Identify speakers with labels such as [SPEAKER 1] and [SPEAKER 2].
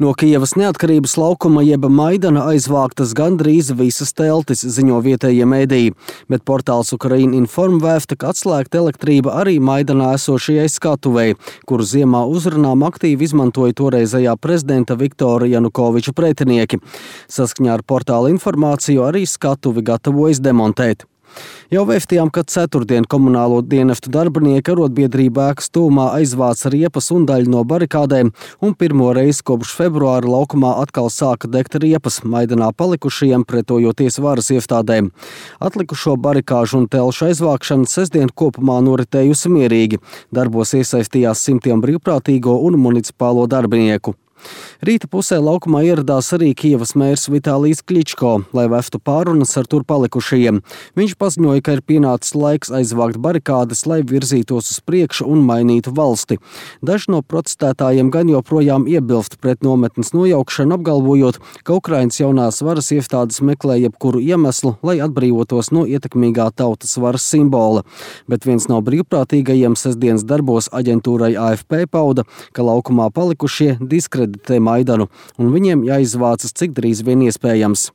[SPEAKER 1] No Kijevas neatkarības laukuma jeb Maidana aizvāktas gandrīz visas teltis, ziņo vietējie mediji, bet portāls Ukraina Inform vēsta, ka atslēgta elektrība arī Maidanā esošajai skatuvei, kuru ziemā uzrunām aktīvi izmantoja toreizējā prezidenta Viktora Janukoviča pretinieki. Saskaņā ar portāla informāciju arī skatuvi gatavojas demontēt. Jau vēstījām, ka ceturtdien komunālo dienestu darbinieki arotbiedrība ēkas tūmā aizvāca riepas un daļu no barikādēm, un pirmo reizi kopš februāra laukumā atkal sāka degt riepas Maidanā palikušajiem, pretojoties varas iestādēm. Atlikušo barikāžu un telšu aizvākšana sestdien kopumā noritējusi mierīgi. Darbos iesaistījās simtiem brīvprātīgo un municipālo darbinieku. Rīta pusē laukumā ieradās arī Kijevas mērs Vitālijs Kličko, lai vestu pārunas ar tur palikušajiem. Viņš paziņoja, ka ir pienācis laiks aizvākt barikādes, lai virzītos uz priekšu un mainītu valsti. Daži no protestētājiem gan joprojām iebilst pret nometnes nojaukšanu, apgalvojot, ka Ukrainas jaunās varas iestādes meklē jebkuru iemeslu, lai atbrīvotos no ietekmīgā tautas varas simbola. Bet viens no brīvprātīgajiem sestdienas darbos aģentūrai AFP pauda, ka laukumā palikušie diskreditē Maidanu, un viņiem jāizvācas cik drīz vien iespējams.